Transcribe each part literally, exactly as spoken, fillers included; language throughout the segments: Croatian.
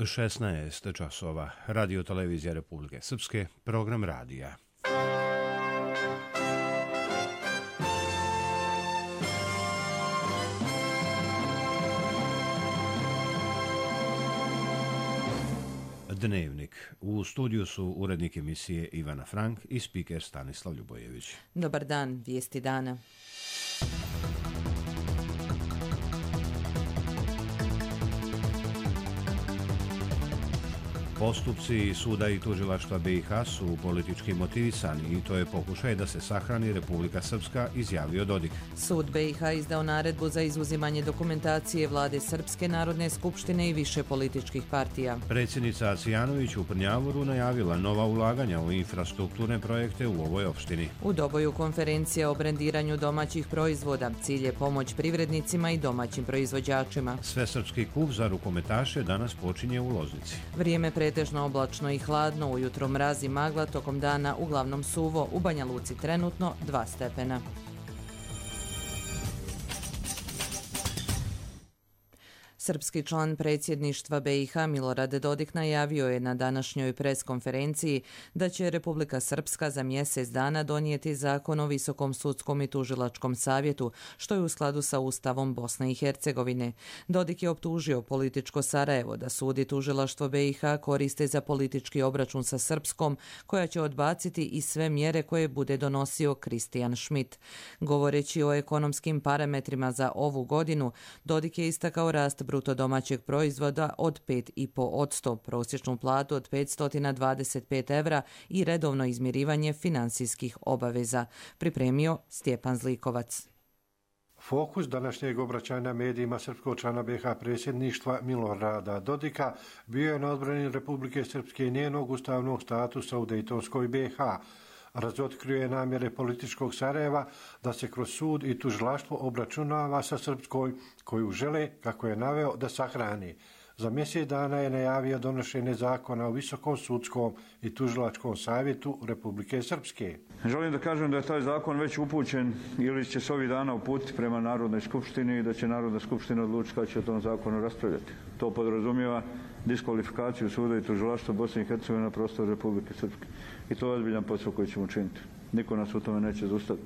šesnaest časova. Radio televizija Republike Srpske, program radija. Dnevnik. U studiju su urednik emisije Ivana Frank i spiker Stanislav Ljubojević. Dobar dan, vijesti dana. Postupci suda i tužilaštva B i H su politički motivisani i to je pokušaj da se sahrani Republika Srpska, izjavio Dodik. Sud B i H izdao naredbu za izuzimanje dokumentacije vlade Srpske narodne skupštine i više političkih partija. Predsjednica Acijanović u Prnjavoru najavila nova ulaganja u infrastrukturne projekte u ovoj opštini. U Doboju konferencija o brendiranju domaćih proizvoda. Cilj je pomoć privrednicima i domaćim proizvođačima. Svesrpski kup za rukometaše danas počinje u Loznici. Vrijeme pretežno oblačno i hladno, ujutro mraz i magla, tokom dana uglavnom suvo, u Banja Luci trenutno dva stepena. Srpski član predsjedništva B i H Milorad Dodik najavio je na današnjoj preskonferenciji da će Republika Srpska za mjesec dana donijeti zakon o Visokom sudskom i tužilačkom savjetu, što je u skladu sa Ustavom Bosne i Hercegovine. Dodik je optužio političko Sarajevo da sud i tužilaštvo B i H koriste za politički obračun sa Srpskom, koja će odbaciti i sve mjere koje bude donosio Kristijan Schmidt. Govoreći o ekonomskim parametrima za ovu godinu, Dodik je istakao rast bruto domaćeg proizvoda od pet zarez pet posto, prosječnu platu od petsto dvadeset pet evra i redovno izmirivanje finansijskih obaveza. Pripremio Stjepan Zlikovac. Fokus današnjeg obraćanja medijima srpskog člana B i H predsjedništva Milorada Dodika bio je na odbrani Republike Srpske i njenog ustavnog statusa u Dejtonskoj B i H. Razotkrio je namjere političkog Sarajeva da se kroz sud i tužilaštvo obračunava sa Srpskoj, koju žele, kako je naveo, da sahrani. Za mjesec dana je najavio donošenje zakona o Visokom sudskom i tužilačkom savjetu Republike Srpske. Želim da kažem da je taj zakon već upućen ili će se ovih dana uputiti prema Narodnoj skupštini i da će Narodna skupština odlučiti kada će o tom zakonu raspravljati. To podrazumijeva diskvalifikaciju suda i tužilaštva Bosne i Hercegovine na prostoru Republike Srpske. I to je ozbiljan posao koji ćemo učiniti. Niko nas u tome neće zaustaviti.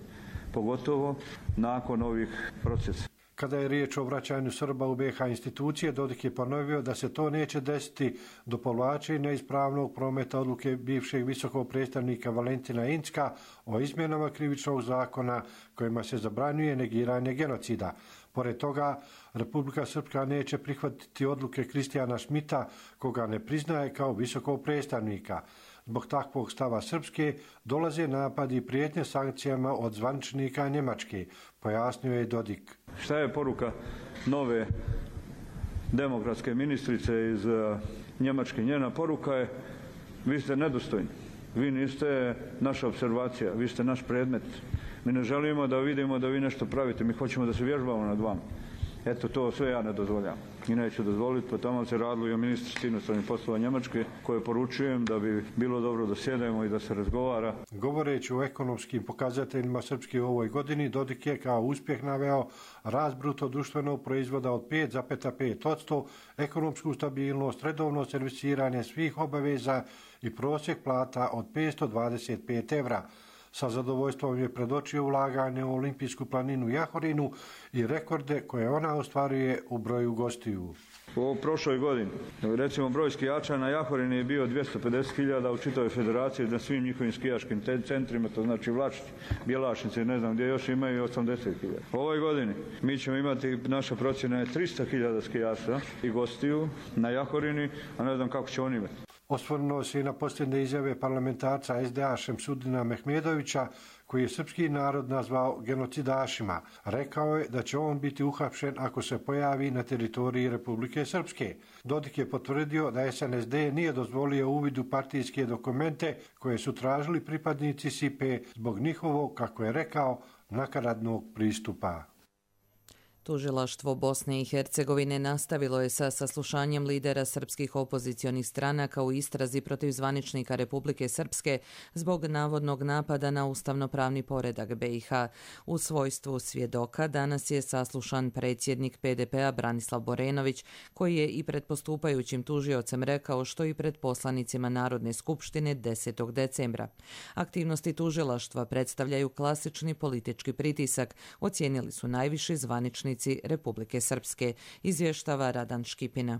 Pogotovo nakon ovih procesa. Kada je riječ o vraćanju Srba u B i H institucije, Dodik je ponovio da se to neće desiti do povlačenja ispravnog prometa odluke bivšeg visokog predstavnika Valentina Incka o izmjenama krivičnog zakona kojima se zabranjuje negiranje genocida. Pored toga, Republika Srpska neće prihvatiti odluke Kristijana Schmidta, koga ne priznaje kao visokog predstavnika. Zbog takvog stava Srpske dolaze napadi i prijetnje sankcijama od zvaničnika Njemačke, pojasnio je Dodik. Šta je poruka nove demokratske ministrice iz Njemačke? Njena poruka je: vi ste nedostojni, vi niste naša observacija, vi ste naš predmet. Mi ne želimo da vidimo da vi nešto pravite, mi hoćemo da se vježbamo nad vama. Eto, to sve ja ne dozvoljam i neću dozvoliti, pa tamo se radilo i o ministrici inostranih poslova Njemačke, koje poručujem da bi bilo dobro da sjedemo i da se razgovara. Govoreći o ekonomskim pokazateljima Srpske u ovoj godini, Dodik je kao uspjeh naveo rast bruto društvenog proizvoda od pet zarez pet posto, ekonomsku stabilnost, redovno servisiranje svih obaveza i prosjek plata od petsto dvadeset pet evra. Sa zadovoljstvom je predočio ulaganje u olimpijsku planinu Jahorinu i rekorde koje ona ostvaruje u broju gostiju. U prošloj godini, recimo, broj skijača na Jahorini je bio dvjesto pedeset hiljada u čitavoj federaciji, na svim njihovim skijaškim centrima, to znači Vlačić, Bjelašnice, ne znam gdje još imaju osamdeset hiljada. U ovoj godini mi ćemo imati, naša procjena je tristo hiljada skijača i gostiju na Jahorini, a ne znam kako će oni imati. Osvrnuo se i na posljednje izjave parlamentarca S D A Šemsudina Mehmedovića, koji je srpski narod nazvao genocidašima. Rekao je da će on biti uhapšen ako se pojavi na teritoriji Republike Srpske. Dodik je potvrdio da S N S D nije dozvolio uvid u partijske dokumente koje su tražili pripadnici Sipe zbog njihovog, kako je rekao, nakaradnog pristupa. Tužilaštvo Bosne i Hercegovine nastavilo je sa saslušanjem lidera srpskih opozicionih stranaka u istrazi protiv zvaničnika Republike Srpske zbog navodnog napada na ustavnopravni poredak B i H. U svojstvu svjedoka danas je saslušan predsjednik P D P-a Branislav Borenović, koji je i pred postupajućim tužiocem rekao što i pred poslanicima Narodne skupštine desetog decembra. Aktivnosti tužilaštva predstavljaju klasični politički pritisak, ocijenili su najviši zvanični Republike Srpske, izvještava Radan Škipina.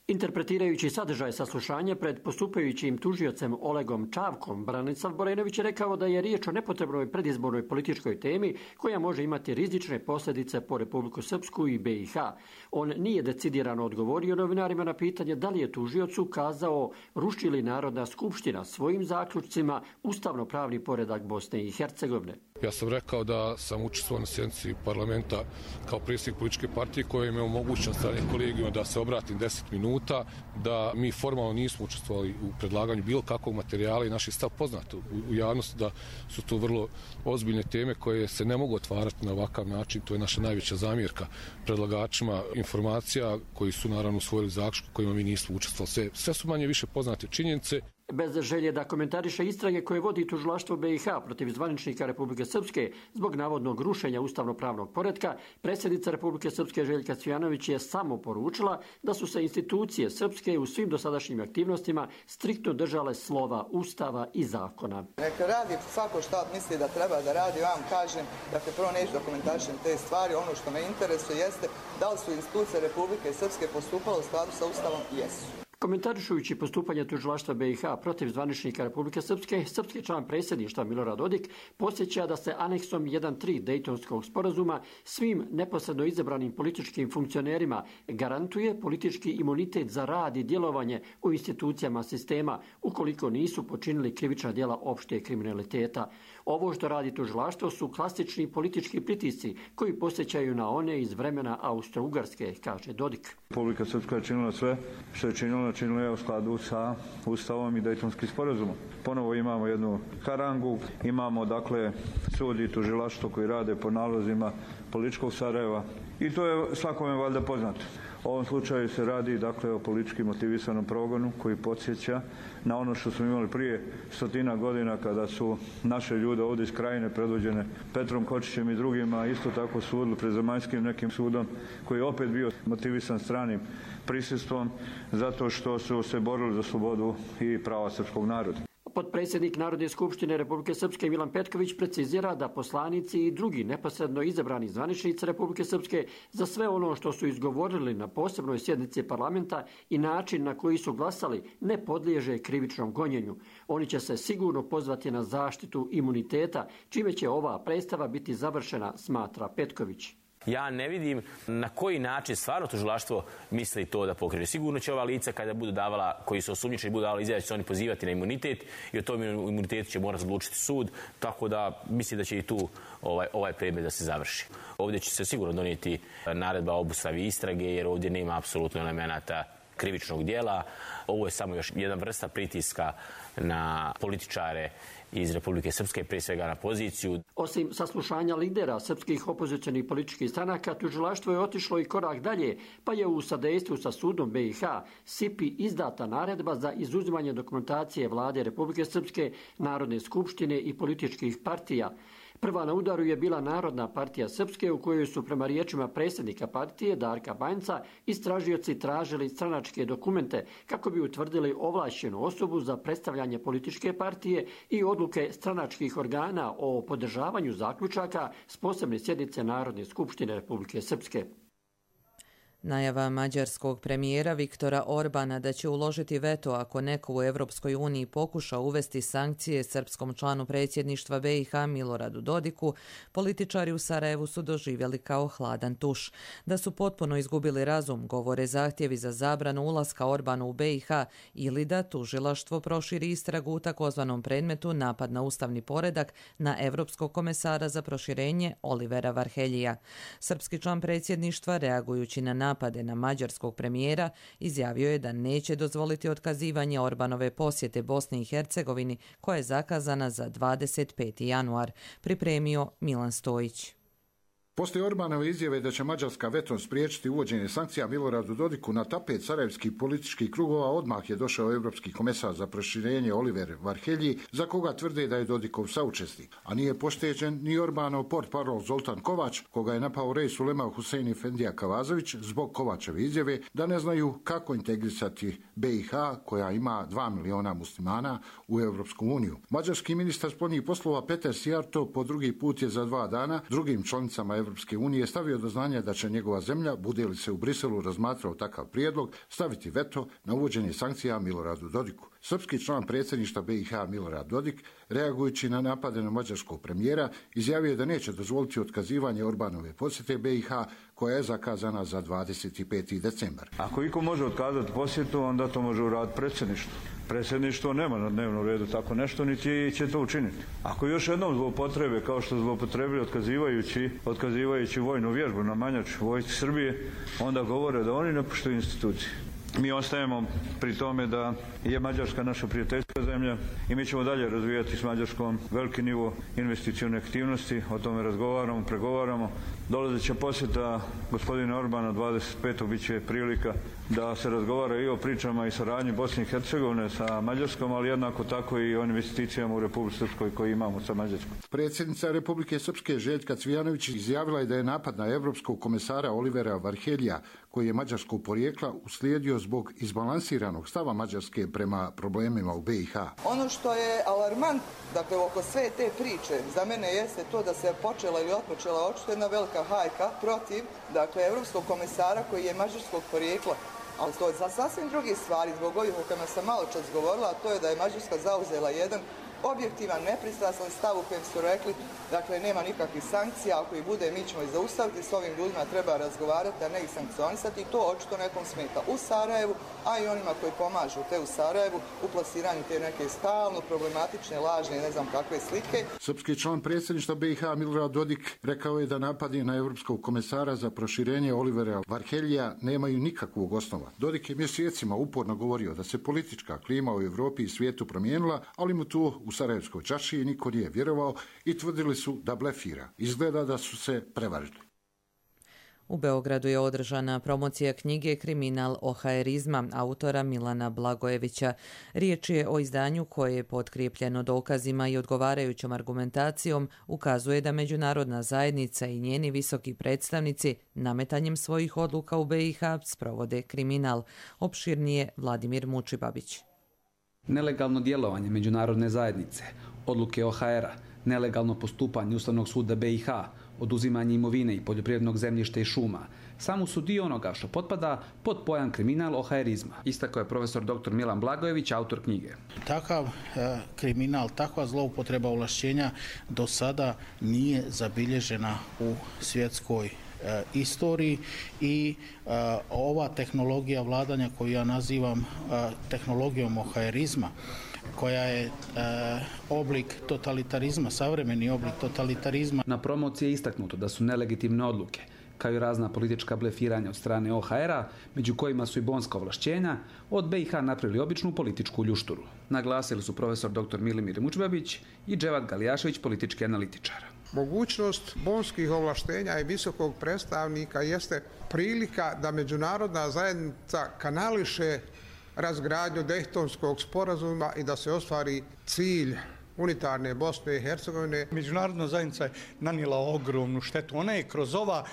Interpretirajući sadržaj saslušanja pred postupajućim tužiocem Olegom Čavkom, Branislav Borenović je rekao da je riječ o nepotrebnoj predizbornoj političkoj temi koja može imati rizične posljedice po Republiku Srpsku i B i H. On nije decidirano odgovorio novinarima na pitanje da li je tužioc ukazao ruši li Narodna skupština svojim zaključcima ustavno-pravni poredak Bosne i Hercegovine. Ja sam rekao da sam učestvovao na sjednici parlamenta kao predsjednik političke partije koja im je omogućena strane kolegijuma da se obratim deset minuta, da mi formalno nismo učestvovali u predlaganju bilo kakvog materijala i naš je stav poznat u, u javnosti da su to vrlo ozbiljne teme koje se ne mogu otvarati na ovakav način. To je naša najveća zamjerka predlagačima informacija koji su naravno usvojili zaključke kojima mi nismo učestvovali. Sve, sve su manje više poznate činjenice. Bez želje da komentariše istrage koje vodi tužilaštvo B i H protiv zvaničnika Republike Srpske zbog navodnog rušenja ustavno-pravnog poretka, predsjednica Republike Srpske Željka Cvijanović je samo poručila da su se institucije srpske u svim dosadašnjim aktivnostima striktno držale slova Ustava i zakona. Neka radi svako što misli da treba da radi, vam kažem, dakle prvo neću da komentarišem te stvari, ono što me interesuje jeste da li su institucije Republike Srpske postupale u skladu sa Ustavom? Jesu. Komentarišujući postupanje tužilaštva B i H protiv zvaničnika Republike Srpske, srpski član predsjedništva Milorad Dodik podsjeća da se aneksom jedan tri Dejtonskog sporazuma svim neposredno izabranim političkim funkcionerima garantuje politički imunitet za rad i djelovanje u institucijama sistema ukoliko nisu počinili krivična djela opšte kriminaliteta. Ovo što radi tužilaštvo su klasični politički pritisci koji posjećaju na one iz vremena Austro-Ugarske, kaže Dodik. Republika Srpska je činila sve što je činila, činila je u skladu sa Ustavom i Dejtonskim sporazumom. Ponovo imamo jednu harangu, imamo dakle sud i tužilaštvo koji rade po nalozima političkog Sarajeva i to je svakome valjda poznato. U ovom slučaju se radi dakle o politički motivisanom progonu koji podsjeća na ono što smo imali prije stotina godina kada su naše ljude ovdje iz Krajine predvođene Petrom Kočićem i drugima isto tako sudili pred zemaljskim nekim sudom koji je opet bio motivisan stranim prisustvom zato što su se borili za slobodu i prava srpskog naroda. Potpredsjednik Narodne skupštine Republike Srpske Milan Petković precizira da poslanici i drugi neposredno izabrani zvaničnici Republike Srpske za sve ono što su izgovorili na posebnoj sjednici parlamenta i način na koji su glasali ne podliježe krivičnom gonjenju. Oni će se sigurno pozvati na zaštitu imuniteta, čime će ova predstava biti završena, smatra Petković. Ja ne vidim na koji način stvarno tužilaštvo misli to da pokrene. Sigurno će ova lica kada budu davala, koji su osumnjičeni, budu davali izjave, će se oni pozivati na imunitet i o tom imunitetu će morati odlučiti sud, tako da mislim da će i tu ovaj, ovaj predmet da se završi. Ovdje će se sigurno donijeti naredba o obustavi istrage jer ovdje nema apsolutno elemenata krivičnog dijela. Ovo je samo još jedna vrsta pritiska na političare iz Republike Srpske, prije svega na poziciju. Osim saslušanja lidera srpskih opozicionih političkih stranaka, tužilaštvo je otišlo i korak dalje, pa je u sadejstvu sa sudom B i H S I P-i izdata naredba za izuzimanje dokumentacije vlade Republike Srpske, Narodne skupštine i političkih partija. Prva na udaru je bila Narodna partija Srpske u kojoj su prema riječima predsjednika partije Darka Banjca istražioci tražili stranačke dokumente kako bi utvrdili ovlašćenu osobu za predstavljanje političke partije i odluke stranačkih organa o podržavanju zaključaka s posebne sjednice Narodne skupštine Republike Srpske. Najava mađarskog premijera Viktora Orbana da će uložiti veto ako neko u Evropskoj uniji pokuša uvesti sankcije srpskom članu predsjedništva B i H Miloradu Dodiku, političari u Sarajevu su doživjeli kao hladan tuš. Da su potpuno izgubili razum, govore zahtjevi za zabranu ulaska Orbanu u B i H ili da tužilaštvo proširi istragu u takozvanom predmetu napad na ustavni poredak na Evropskog komesara za proširenje Olivera Varheljija. Srpski član predsjedništva, reagujući na napade na mađarskog premijera, izjavio je da neće dozvoliti otkazivanje Orbanove posjete Bosni i Hercegovini koja je zakazana za dvadeset peti januar, pripremio Milan Stojić. Poslije Orbanove izjave da će Mađarska vetom spriječiti uvođenje sankcija Miloradu Dodiku, na tapet sarajevskih političkih krugova odmah je došao europski komesar za proširenje Oliver Varhelji, za koga tvrde da je Dodikov saučesnik. A nije pošteđen ni Orbanov portparol Zoltan Kovač, koga je napao Rej Sulema Husein Efendija Kavazović zbog Kovačeve izjave da ne znaju kako integrisati B i H, koja ima dva miliona muslimana, u Europsku uniju. Mađarski ministar spoljnih poslova Peter Sijarto po drugi put je za dva dana drugim članicama Europske unije stavio do znanja da će njegova zemlja, bude li se u Briselu razmatrao takav prijedlog, staviti veto na uvođenje sankcija Miloradu Dodiku. Srpski član predsjedništva B i H Milorad Dodik, reagujući na napade na mađarskog premijera, izjavio da neće dozvoliti otkazivanje Orbanove posjete B i H, koja je zakazana za dvadeset peti decembar. Ako iko može otkazati posjetu, onda to može uraditi predsjedništvo. Predsjedništvo nema na dnevnom redu tako nešto, niti će to učiniti. Ako još jednom zloupotrebe, kao što zloupotrebili otkazivajući, otkazivajući vojnu vježbu na Manjač vojsci Srbije, onda govore da oni ne poštuju institucije. Mi ostajemo pri tome da je Mađarska naša prijateljska zemlja i mi ćemo dalje razvijati s Mađarskom veliki nivo investicione aktivnosti, o tome razgovaramo, pregovaramo. Dolazeća posjeta gospodina Orbana dvadeset petog bit će prilika da se razgovara i o pričama i saradnji Bosne i Hercegovine sa Mađarskom, ali jednako tako i o investicijama u Republici Srpskoj koji imamo sa Mađarskom. Predsjednica Republike Srpske Željka Cvijanović izjavila je da je napad na evropskog komesara Olivera Varheljija, koji je mađarskog porijekla, uslijedio zbog izbalansiranog stava Mađarske prema problemima u B i H. Ono što je alarmant, dakle, oko sve te priče, za mene jeste to da se počela ili otpočela očito jedna velika hajka protiv, dakle, evropskog komesara koji je mađarskog porijekla. Ali to je za sasvim drugi stvari, zbog ovih o kojima sam malo čas govorila, a to je da je Mađarska zauzela jedan objektivan, nepristrasan stav u kojem su rekli, dakle, nema nikakvih sankcija, ako ih bude, mi ćemo ih zaustaviti, s ovim ljudima treba razgovarati, a ne ih sankcionisati, i to očito nekom smeta u Sarajevu, a i onima koji pomažu te u Sarajevu u plasiranju te neke stalno problematične, lažne, ne znam kakve slike. Srpski član predsjedništva B i H Milorad Dodik rekao je da napadi na evropskog komesara za proširenje Olivera Varheljija nemaju nikakvog osnova. Dodik je mjesecima uporno govorio da se politička klima u Europi i svijetu promijenila, ali mu tu u Sarajevskoj čaršiji niko nije vjerovao i tvrdili su da blefira. Izgleda da su se prevarili. U Beogradu je održana promocija knjige Kriminal ohaerizma autora Milana Blagojevića. Riječ je o izdanju koje je potkrijepljeno dokazima i odgovarajućom argumentacijom ukazuje da međunarodna zajednica i njeni visoki predstavnici nametanjem svojih odluka u B i H sprovode kriminal. Opširnije Vladimir Mučibabić. Nelegalno djelovanje međunarodne zajednice, odluke O H R-a, nelegalno postupanje Ustavnog suda B i H, oduzimanje imovine i poljoprivrednog zemljišta i šuma, samo su dio onoga što potpada pod pojam kriminal ohaerizma. Istakao je profesor doktor Milan Blagojević, autor knjige. Takav e, kriminal, takva zloupotreba ovlašćenja do sada nije zabilježena u svjetskoj e, istoriji i e, ova tehnologija vladanja koju ja nazivam e, tehnologijom ohaerizma, koja je e, oblik totalitarizma, savremeni oblik totalitarizma. Na promociji je istaknuto da su nelegitimne odluke, kao i razna politička blefiranja od strane O H R-a, među kojima su i bonska ovlašćenja, od B i H napravili običnu političku ljušturu. Naglasili su profesor doktor Milimir Mučbabić i Dževat Galijašević, politički analitičar. Mogućnost bonskih ovlaštenja i visokog predstavnika jeste prilika da međunarodna zajednica kanališe razgradnju Dejtonskog sporazuma i da se ostvari cilj unitarne Bosne i Hercegovine. Međunarodna zajednica je nanijela ogromnu štetu. Ona je kroz ova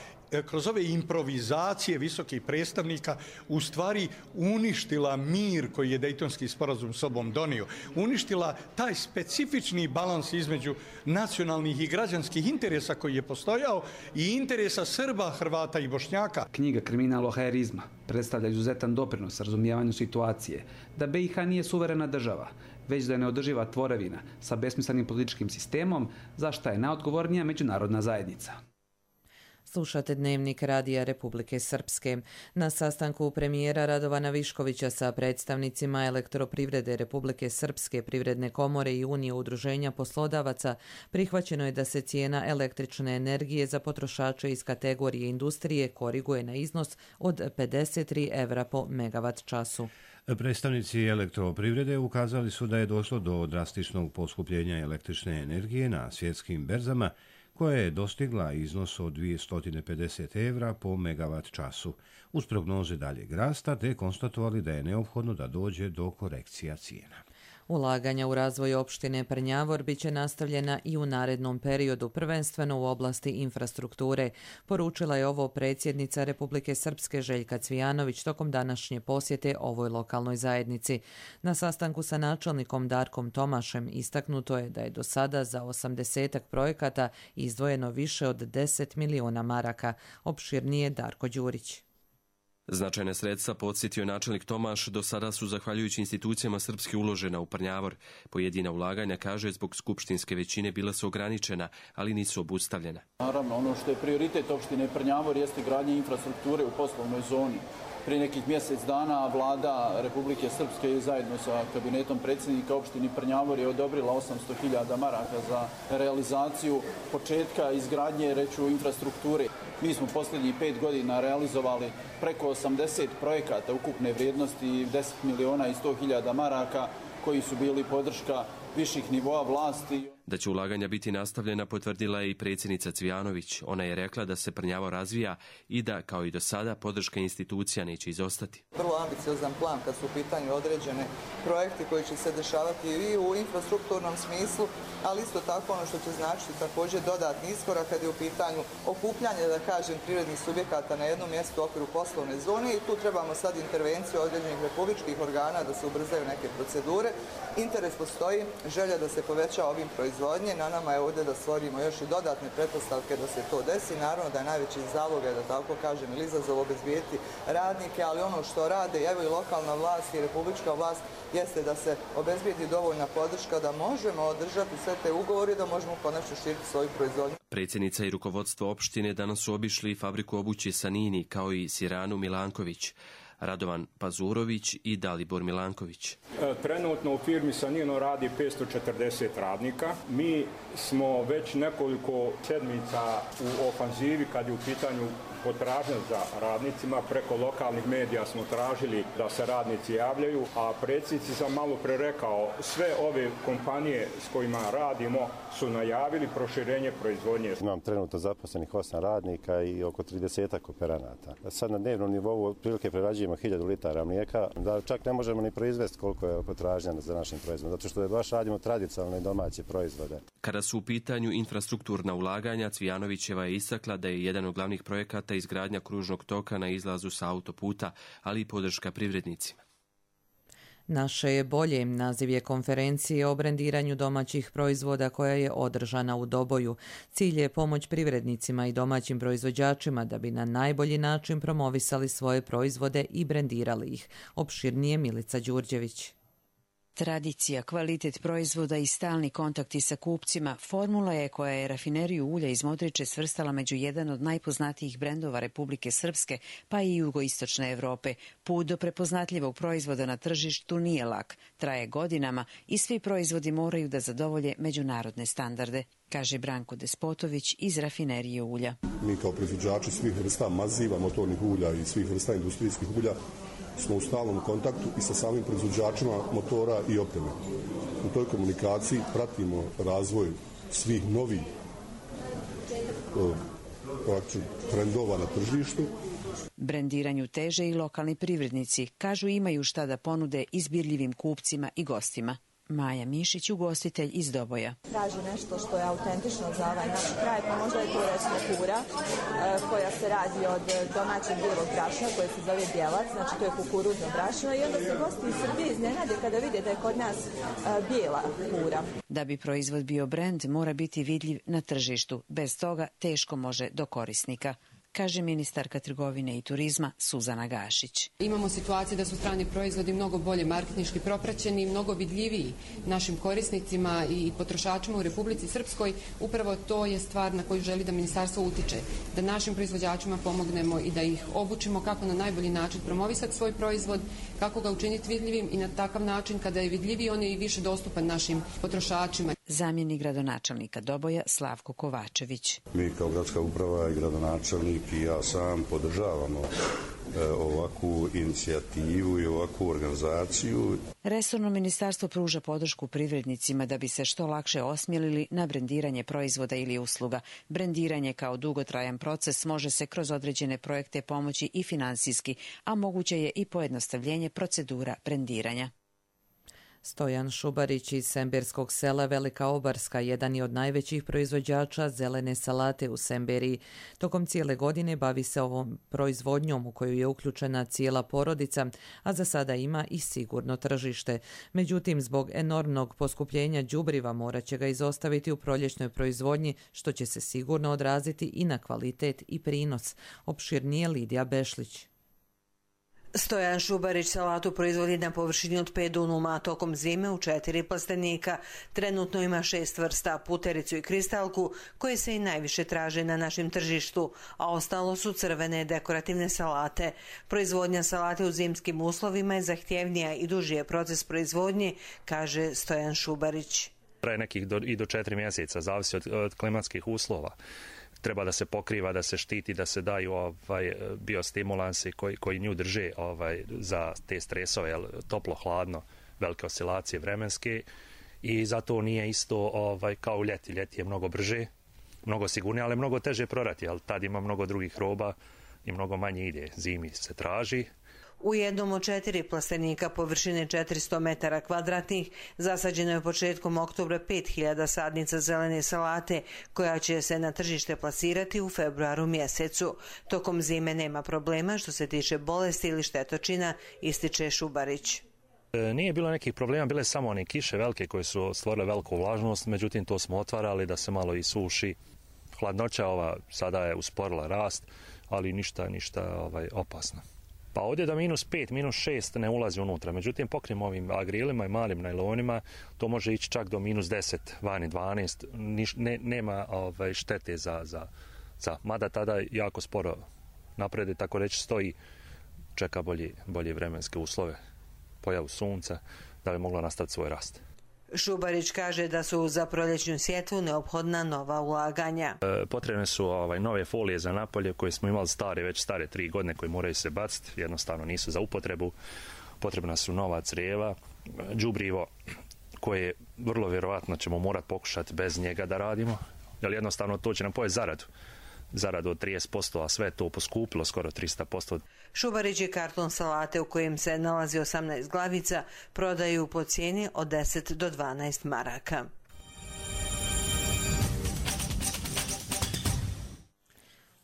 kroz ove improvizacije visokih predstavnika u stvari uništila mir koji je Dejtonski sporazum sobom donio. Uništila taj specifični balans između nacionalnih i građanskih interesa koji je postojao i interesa Srba, Hrvata i Bošnjaka. Knjiga Kriminal ohaerizma predstavlja izuzetan doprinos razumijevanju situacije da B i H nije suverena država, već da je neodrživa tvorevina sa besmislenim političkim sistemom, za šta je najodgovornija međunarodna zajednica. Slušate Dnevnik Radija Republike Srpske. Na sastanku premijera Radovana Viškovića sa predstavnicima Elektroprivrede Republike Srpske, Privredne komore i Unije udruženja poslodavaca prihvaćeno je da se cijena električne energije za potrošače iz kategorije industrije koriguje na iznos od pedeset tri evra po megavat času. Predstavnici Elektroprivrede ukazali su da je došlo do drastičnog poskupljenja električne energije na svjetskim berzama, koja je dostigla iznos od dvjesto pedeset evra po megavat času, uz prognoze daljeg rasta, te konstatovali da je neophodno da dođe do korekcija cijena. Ulaganja u razvoj opštine Prnjavor biće nastavljena i u narednom periodu, prvenstveno u oblasti infrastrukture. Poručila je ovo predsjednica Republike Srpske Željka Cvijanović tokom današnje posjete ovoj lokalnoj zajednici. Na sastanku sa načelnikom Darkom Tomašem istaknuto je da je do sada za osamdesetak projekata izdvojeno više od deset miliona maraka. Opširnije Darko Đurić. Značajna sredstva, podsjetio načelnik Tomaš, do sada su zahvaljujući institucijama Srpske uložena u Prnjavor. Pojedina ulaganja, kaže, zbog skupštinske većine bila su ograničena, ali nisu obustavljena. Naravno, ono što je prioritet opštine Prnjavor jeste gradnja infrastrukture u poslovnoj zoni. Prije nekih mjesec dana vlada Republike Srpske zajedno sa kabinetom predsjednika opštine Prnjavor je odobrila osamsto hiljada maraka za realizaciju početka izgradnje, reću, infrastrukture. Mi smo posljednjih pet godina realizovali preko osamdeset projekata ukupne vrijednosti deset miliona i sto hiljada maraka koji su bili podrška viših nivoa vlasti. Da će ulaganja biti nastavljena potvrdila je i predsjednica Cvijanović. Ona je rekla da se Prnjavor razvija i da, kao i do sada, podrška institucija neće izostati. Vrlo ambiciozan plan kad su u pitanju određene projekti koji će se dešavati i u infrastrukturnom smislu, ali isto tako ono što će značiti također dodatni iskorak kad je u pitanju okupljanje, da kažem, privrednih subjekata na jednom mjestu u okviru poslovne zone i tu trebamo sad intervenciju određenih republičkih organa da se ubrzaju neke procedure. Interes postoji, želja da se poveća ovim proizvodnje, na nama je ovdje da stvorimo još i dodatne pretpostavke da se to desi. Naravno da je najveći zalog, da tako kažem, ili izazov obezbijeti radnike, ali ono što rade, evo i lokalna vlast i republička vlast, jeste da se obezbijeti dovoljna podrška da možemo održati sve te ugovore, da možemo konačno širiti svoju proizvodnju. Predsjednica i rukovodstvo opštine danas su obišli fabriku obuće Sanini, kao i Siranu Milanković, Radovan Pazurović i Dalibor Milanković. Trenutno u firmi Sanino radi petsto četrdeset radnika. Mi smo već nekoliko sedmica u ofanzivi kad je u pitanju potražnja za radnicima. Preko lokalnih medija smo tražili da se radnici javljaju, a predsjednici sam malo pre rekao, sve ove kompanije s kojima radimo su najavili proširenje proizvodnje. Imam trenutno zaposlenih osam radnika i oko tridesetak operanata. Sad na dnevnom nivou otprilike prerađujemo hiljadu litara mlijeka, da čak ne možemo ni proizvesti koliko je potražnja za našim proizvodom, zato što je baš radimo tradicionalne domaće proizvode. Kada su u pitanju infrastrukturna ulaganja, Cvijanovićeva je istakla da je jedan od glavnih projekata izgradnja kružnog toka na izlazu sa autoputa, ali i podrška privrednicima. Naše je bolje naziv je konferencije o brendiranju domaćih proizvoda koja je održana u Doboju. Cilj je pomoć privrednicima i domaćim proizvođačima da bi na najbolji način promovisali svoje proizvode i brendirali ih. Opširnije Milica Đurđević. Tradicija, kvalitet proizvoda i stalni kontakti sa kupcima formula je koja je rafineriju ulja iz Modriče svrstala među jedan od najpoznatijih brendova Republike Srpske, pa i jugoistočne Evrope. Put do prepoznatljivog proizvoda na tržištu nije lak, traje godinama i svi proizvodi moraju da zadovolje međunarodne standarde, kaže Branko Despotović iz rafinerije ulja. Mi kao proizvođači svih vrsta maziva, motornih ulja i svih vrsta industrijskih ulja smo u stalnom kontaktu i sa samim proizvođačima motora i opreme. U toj komunikaciji pratimo razvoj svih novih trendova na tržištu. Brendiranju teže i lokalni privrednici, kažu imaju šta da ponude izbirljivim kupcima i gostima. Maja Mišić, ugostitelj iz Doboja. Traži nešto što je autentično za ovaj naš kraj, pa možda je to recimo kura koja se radi od domaćeg bijelog brašna koje se zove bjelac, znači to je kukuruzno brašno i onda se gosti iz Srbije iznenade kada vide da je kod nas bijela kura. Da bi proizvod bio brend, mora biti vidljiv na tržištu. Bez toga teško može do korisnika, kaže ministarka trgovine i turizma Suzana Gašić. Imamo situaciju da su strani proizvodi mnogo bolje marketinški propraćeni, mnogo vidljiviji našim korisnicima i potrošačima u Republici Srpskoj. Upravo to je stvar na koju želi da ministarstvo utiče, da našim proizvođačima pomognemo i da ih obučimo kako na najbolji način promovisati svoj proizvod, kako ga učiniti vidljivim i na takav način kada je vidljiviji on je i više dostupan našim potrošačima. Zamjenik gradonačelnika Doboja Slavko Kovačević. Mi kao gradska uprava i gradonačelnik i ja sam podržavamo ovakvu inicijativu i ovakvu organizaciju. Resorno ministarstvo pruža podršku privrednicima da bi se što lakše osmjelili na brendiranje proizvoda ili usluga. Brendiranje kao dugotrajan proces može se kroz određene projekte pomoći i finansijski, a moguće je i pojednostavljenje procedura brendiranja. Stojan Šubarić iz Semberskog sela Velika Obarska jedan je od najvećih proizvođača zelene salate u Semberiji. Tokom cijele godine bavi se ovom proizvodnjom u koju je uključena cijela porodica, a za sada ima i sigurno tržište. Međutim, zbog enormnog poskupljenja đubriva morat će ga izostaviti u proljećnoj proizvodnji, što će se sigurno odraziti i na kvalitet i prinos. Opširnije Lidija Bešlić. Stojan Šubarić salatu proizvodi na površini od pet dunuma, tokom zime u četiri plastenika. Trenutno ima šest vrsta, putericu i kristalku, koje se i najviše traže na našem tržištu, a ostalo su crvene dekorativne salate. Proizvodnja salate u zimskim uslovima je zahtjevnija i duži je proces proizvodnje, kaže Stojan Šubarić. Traje nekih do, i do četiri mjeseca, zavisi od, od klimatskih uslova. Treba da se pokriva, da se štiti, da se daju ovaj, biostimulansi koji, koji nju drže ovaj, za te stresove, toplo, hladno, velike oscilacije vremenske i zato nije isto ovaj, kao u ljeti. Ljeti je mnogo brže, mnogo sigurnije, ali mnogo teže prorati, ali tad ima mnogo drugih roba i mnogo manje ide. Zimi se traži. U jednom od četiri plastenika površine četiristo metara kvadratnih zasađeno je početkom oktobra pet hiljada sadnica zelene salate, koja će se na tržište plasirati u februaru mjesecu. Tokom zime nema problema što se tiče bolesti ili štetočina, ističe Šubarić. Nije bilo nekih problema, bile samo one kiše velike koje su stvorile veliku vlažnost, međutim to smo otvarali da se malo i suši. Hladnoća ova sada je usporila rast, ali ništa, ništa ovaj, opasno. Pa ovdje do minus pet, minus šest ne ulazi unutra. Međutim, pokrijemo ovim agrilima i malim najlonima, to može ići čak do minus deset, vani dvanaest. Niš, ne, nema ovaj, štete za, za, za... Mada tada jako sporo naprede, tako reći, stoji, čeka bolje, bolje vremenske uslove, pojavu sunca, da bi moglo nastaviti svoj rast. Šubarić kaže da su za proljećnu sjetvu neophodna nova ulaganja. E, potrebne su ovaj, nove folije za napolje koje smo imali stare, već stare tri godine koje moraju se baciti, jednostavno nisu za upotrebu. Potrebna su nova crijeva, đubrivo koje vrlo vjerovatno ćemo morati pokušati bez njega da radimo, jer jednostavno to će nam pojesti zaradu. Zaradu od trideset posto, a sve to poskupilo skoro tristo posto. Šubarić je karton salate u kojem se nalazi osamnaest glavica prodaju po cijeni od deset do dvanaest maraka.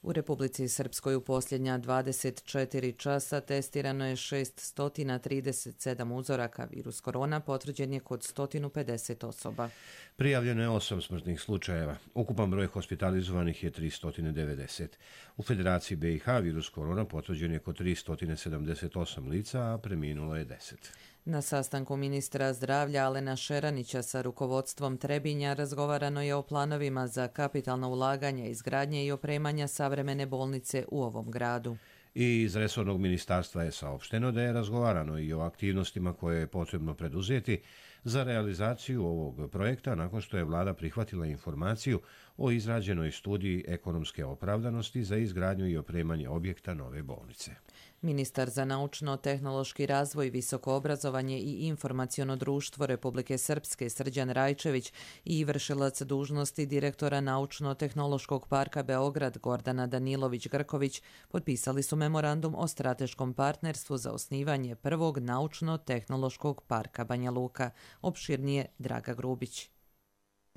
U Republici Srpskoj u posljednja dvadeset četiri časa testirano je šesto trideset sedam uzoraka. Virus korona potvrđen je kod sto pedeset osoba. Prijavljeno je osam smrtnih slučajeva. Ukupan broj hospitalizovanih je tristo devedeset. U Federaciji B i H virus korona potvrđen je kod tristo sedamdeset osam lica, a preminulo je deset. Na sastanku ministra zdravlja Alena Šeranića sa rukovodstvom Trebinja razgovarano je o planovima za kapitalno ulaganje, izgradnje i opremanja savremene bolnice u ovom gradu. I iz resornog ministarstva je saopšteno da je razgovarano i o aktivnostima koje je potrebno preduzeti za realizaciju ovog projekta nakon što je vlada prihvatila informaciju o izrađenoj studiji ekonomske opravdanosti za izgradnju i opremanje objekta nove bolnice. Ministar za naučno-tehnološki razvoj, visoko obrazovanje i informaciono društvo Republike Srpske Srđan Rajčević i vršilac dužnosti direktora Naučno-tehnološkog parka Beograd Gordana Danilović-Grković potpisali su memorandum o strateškom partnerstvu za osnivanje prvog naučno-tehnološkog parka Banja Luka. Opširnije Draga Grubić.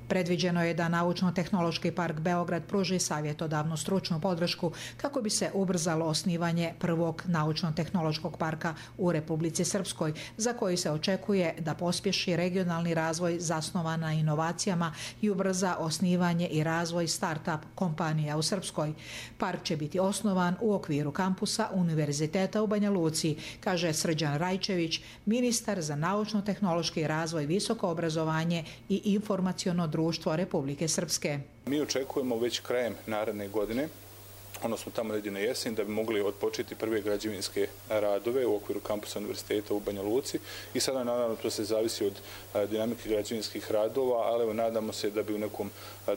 Predviđeno je da Naučno-tehnološki park Beograd pruži savjetodavnu stručnu podršku kako bi se ubrzalo osnivanje prvog naučno-tehnološkog parka u Republici Srpskoj, za koji se očekuje da pospješi regionalni razvoj zasnovan na inovacijama i ubrza osnivanje i razvoj start-up kompanija u Srpskoj. Park će biti osnovan u okviru kampusa Univerziteta u Banja Luci, kaže Srđan Rajčević, ministar za naučno-tehnološki razvoj, visoko obrazovanje i informaciono društvo Republike Srpske. Mi očekujemo već krajem naredne godine odnosno tamo negdje na jesen, da bi mogli odpočeti prve građevinske radove u okviru kampusa univerziteta u Banja Luci. I sada naravno to se zavisi od dinamike građevinskih radova, ali evo nadamo se da bi u nekom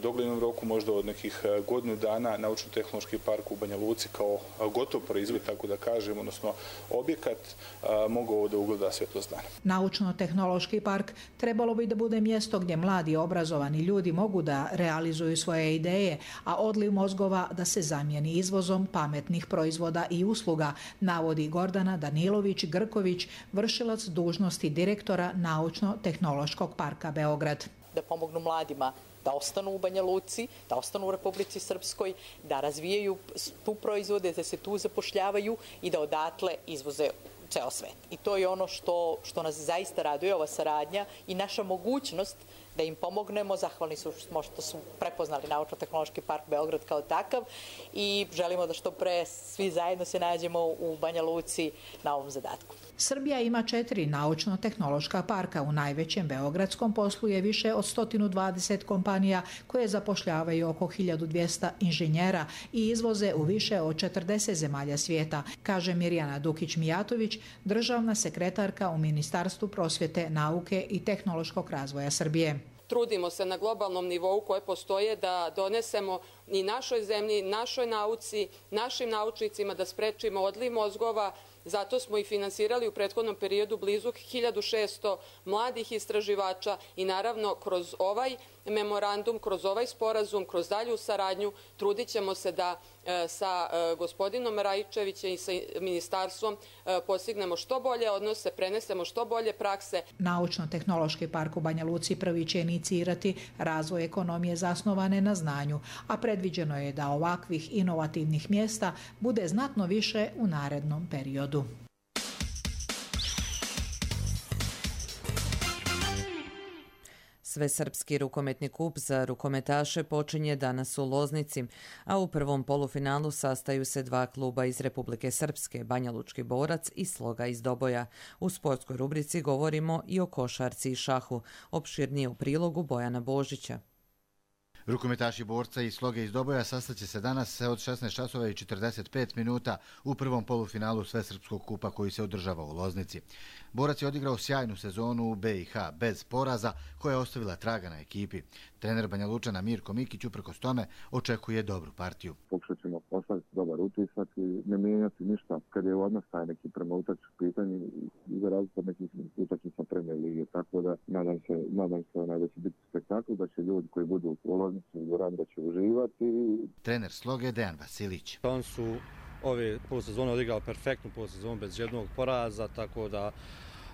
doglednom roku, možda od nekih godinu dana, Naučno-tehnološki park u Banja Luci kao gotov proizvod, tako da kažem, odnosno objekat, mogao da ugleda svjetlost dana. Naučno-tehnološki park trebalo bi da bude mjesto gdje mladi obrazovani ljudi mogu da realizuju svoje ideje, a odliv mozgova da se zamijeni izvozom pametnih proizvoda i usluga, navodi Gordana Danilović-Grković, vršilac dužnosti direktora Naučno-tehnološkog parka Beograd. Da pomognu mladima da ostanu u Banja Luci, da ostanu u Republici Srpskoj, da razvijaju tu proizvode, da se tu zapošljavaju i da odatle izvoze ceo svet. I to je ono što, što nas zaista raduje, ova saradnja i naša mogućnost da im pomognemo. Zahvalni su što su prepoznali Naučno-tehnološki park Beograd kao takav i želimo da što pre svi zajedno se nađemo u Banja Luci na ovom zadatku. Srbija ima četiri naučno-tehnološka parka. U najvećem beogradskom posluje više od sto dvadeset kompanija koje zapošljavaju oko hiljadu dvjesto inženjera i izvoze u više od četrdeset zemalja svijeta, kaže Mirjana Dukić-Mijatović, državna sekretarka u Ministarstvu prosvjete, nauke i tehnološkog razvoja Srbije. Trudimo se na globalnom nivou koje postoje da donesemo i našoj zemlji, našoj nauci, našim naučnicima da sprečimo odliv mozgova. Zato smo i finansirali u prethodnom periodu blizu hiljadu šesto mladih istraživača i naravno kroz ovaj memorandum, kroz ovaj sporazum, kroz dalju saradnju trudit ćemo se da sa gospodinom Rajičevićem i sa ministarstvom postignemo što bolje odnose, prenesemo što bolje prakse. Naučno-tehnološki park u Banja Luci prvi će inicirati razvoj ekonomije zasnovane na znanju, a predviđeno je da ovakvih inovativnih mjesta bude znatno više u narednom periodu. Svesrpski rukometni kup za rukometaše počinje danas u Loznici, a u prvom polufinalu sastaju se dva kluba iz Republike Srpske, Banja Lučki Borac i Sloga iz Doboja. U sportskoj rubrici govorimo i o košarci i šahu, opširnije u prilogu Bojana Božića. Rukometaši Borca i Sloge iz Doboja sastaće se danas od šesnaest časova i četrdeset pet minuta u prvom polufinalu Svesrpskog kupa koji se održava u Loznici. Borac je odigrao sjajnu sezonu u B i H bez poraza koja je ostavila traga na ekipi. Trener Banja Lučana Mirko Mikić uprkos tome očekuje dobru partiju. Pokušat ćemo ostaviti dobar utisak i ne mijenjati ništa kad je odnos taj neki prema utakmičnom pitanju i za razliku od nekih utakmica Premier lige. Tako da nadam se, nadam se da će biti spektakl, da će ljudi koji budu u Loznici dvorani da će uživati. Trener Sloge Dejan Vasilić. On su ove polusezone odigrali perfektnu polusezonu bez jednog poraza, tako da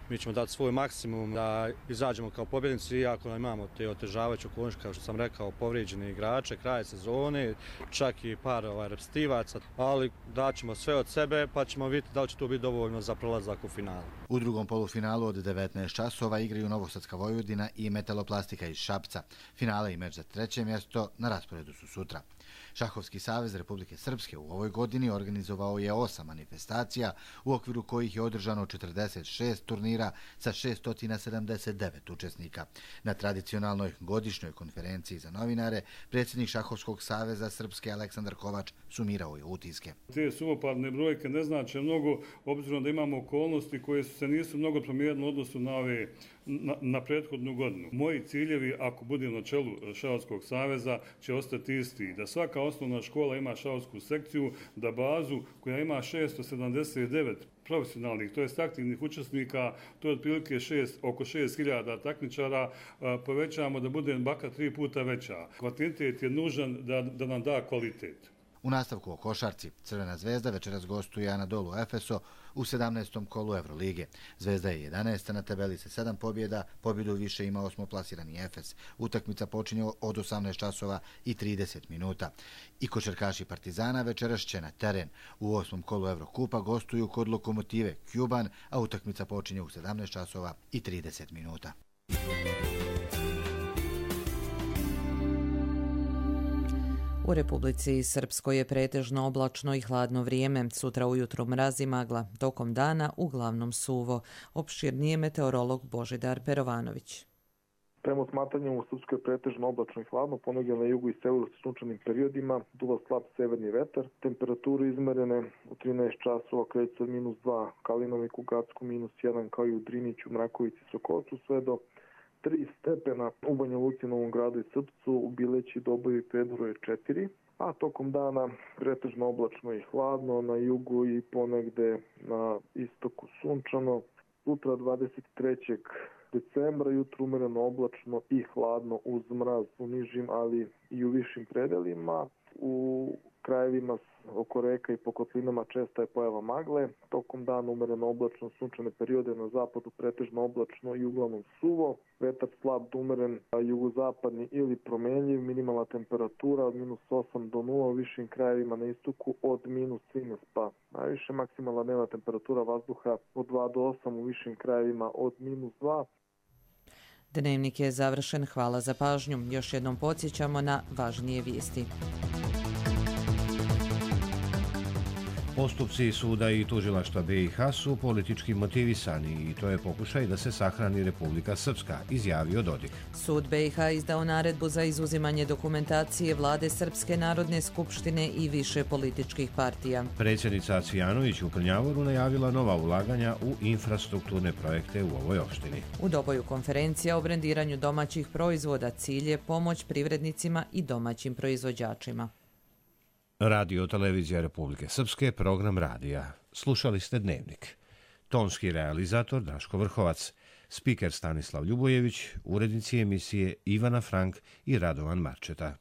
mi ćemo dati svoj maksimum da izađemo kao pobjednici, iako imamo te otežavajuće okolnosti, kao što sam rekao, povrijeđene igrače, kraj sezone, čak i par ovaj, repstivaca, ali daćemo sve od sebe pa ćemo vidjeti da li će to biti dovoljno za prolazak u finalu. U drugom polufinalu od devetnaest časova igraju Novosadska Vojvodina i Metaloplastika iz Šapca. Finale i meč za treće mjesto na rasporedu su sutra. Šahovski savez Republike Srpske u ovoj godini organizovao je osam manifestacija, u okviru kojih je održano četrdeset šest turnira sa šesto sedamdeset devet učesnika. Na tradicionalnoj godišnjoj konferenciji za novinare, predsjednik Šahovskog saveza Srpske Aleksandar Kovač sumirao je utiske. Te suvoparne brojke ne znače mnogo, obzirom da imamo okolnosti koje su se nisu mnogo promijenile u odnosu na, ove, na, na prethodnu godinu. Moji ciljevi, ako budem na čelu Šahovskog saveza, će ostati isti. Da svaka osnovna škola ima šahovsku sekciju, da bazu koja ima šesto sedamdeset devet profesionalnih, to jest aktivnih učesnika, to je otprilike šest, oko šest hiljada takmičara, povećamo da bude baka tri puta veća. Kvantitet je nužan da, da nam da kvalitet. U nastavku o košarci, Crvena zvezda večeras gostuje Anadolu Efeso u sedamnaestom kolu Evrolige. Zvezda je jedanaesta na tabeli sa sedam pobjeda, pobjedu više ima osmoplasirani Efes. Utakmica počinje od osamnaest časova i trideset minuta. I košarkaši Partizana večeras će na teren. U osmom kolu Evrokupa gostuju kod Lokomotive Kuban, a utakmica počinje u sedamnaest časova i trideset minuta. U Republici Srpskoj je pretežno oblačno i hladno vrijeme. Sutra ujutro mraz i magla. Tokom dana uglavnom suvo. Opširnije meteorolog Božidar Perovanović. Prema smatranju u Srpskoj pretežno oblačno i hladno, ponegdje na jugu i severu sa sunčanim periodima, duva slab severni vetar. Temperature izmerene u trinaest časova kreću od minus dva Kalinoviku, Gacku, minus jedan kao i u Driniću, Mrakovici, Sokolcu, sve do tri stepena u Banja Luci, Novom Gradu i Srpcu, u Bileći, Doboju i Pedru je četiri. A tokom dana pretežno oblačno i hladno, na jugu i ponegde na istoku sunčano. Sutra dvadeset trećeg decembra jutro umereno oblačno i hladno uz mraz u nižim, ali i u višim predelima. U krajevima oko reka i po kotlinama česta je pojava magle. Tokom dana umereno oblačno, sunčane periode, na zapadu pretežno oblačno i uglavnom suvo. Vetar slab do umeren, jugozapadni ili promenljiv. Minimalna temperatura od minus osam do nula, u višim krajevima na istoku od minus trinaest pa najviše. Maksimalna dnevna temperatura vazduha od dva do osam, u višim krajevima od minus dva. Dnevnik je završen. Hvala za pažnju. Još jednom podsjećamo na važnije vijesti. Postupci suda i tužilaštva B i H su politički motivisani i to je pokušaj da se sahrani Republika Srpska, izjavio Dodik. Sud B i H izdao naredbu za izuzimanje dokumentacije vlade Srpske narodne skupštine i više političkih partija. Predsjednica Cvijanović u Prnjavoru najavila nova ulaganja u infrastrukturne projekte u ovoj opštini. U Doboju konferencija o brendiranju domaćih proizvoda, cilj je pomoć privrednicima i domaćim proizvođačima. Radio Televizija Republike Srpske, program radija. Slušali ste Dnevnik. Tonski realizator Daško Vrhovac, spiker Stanislav Ljubojević, urednici emisije Ivana Frank i Radovan Marčeta.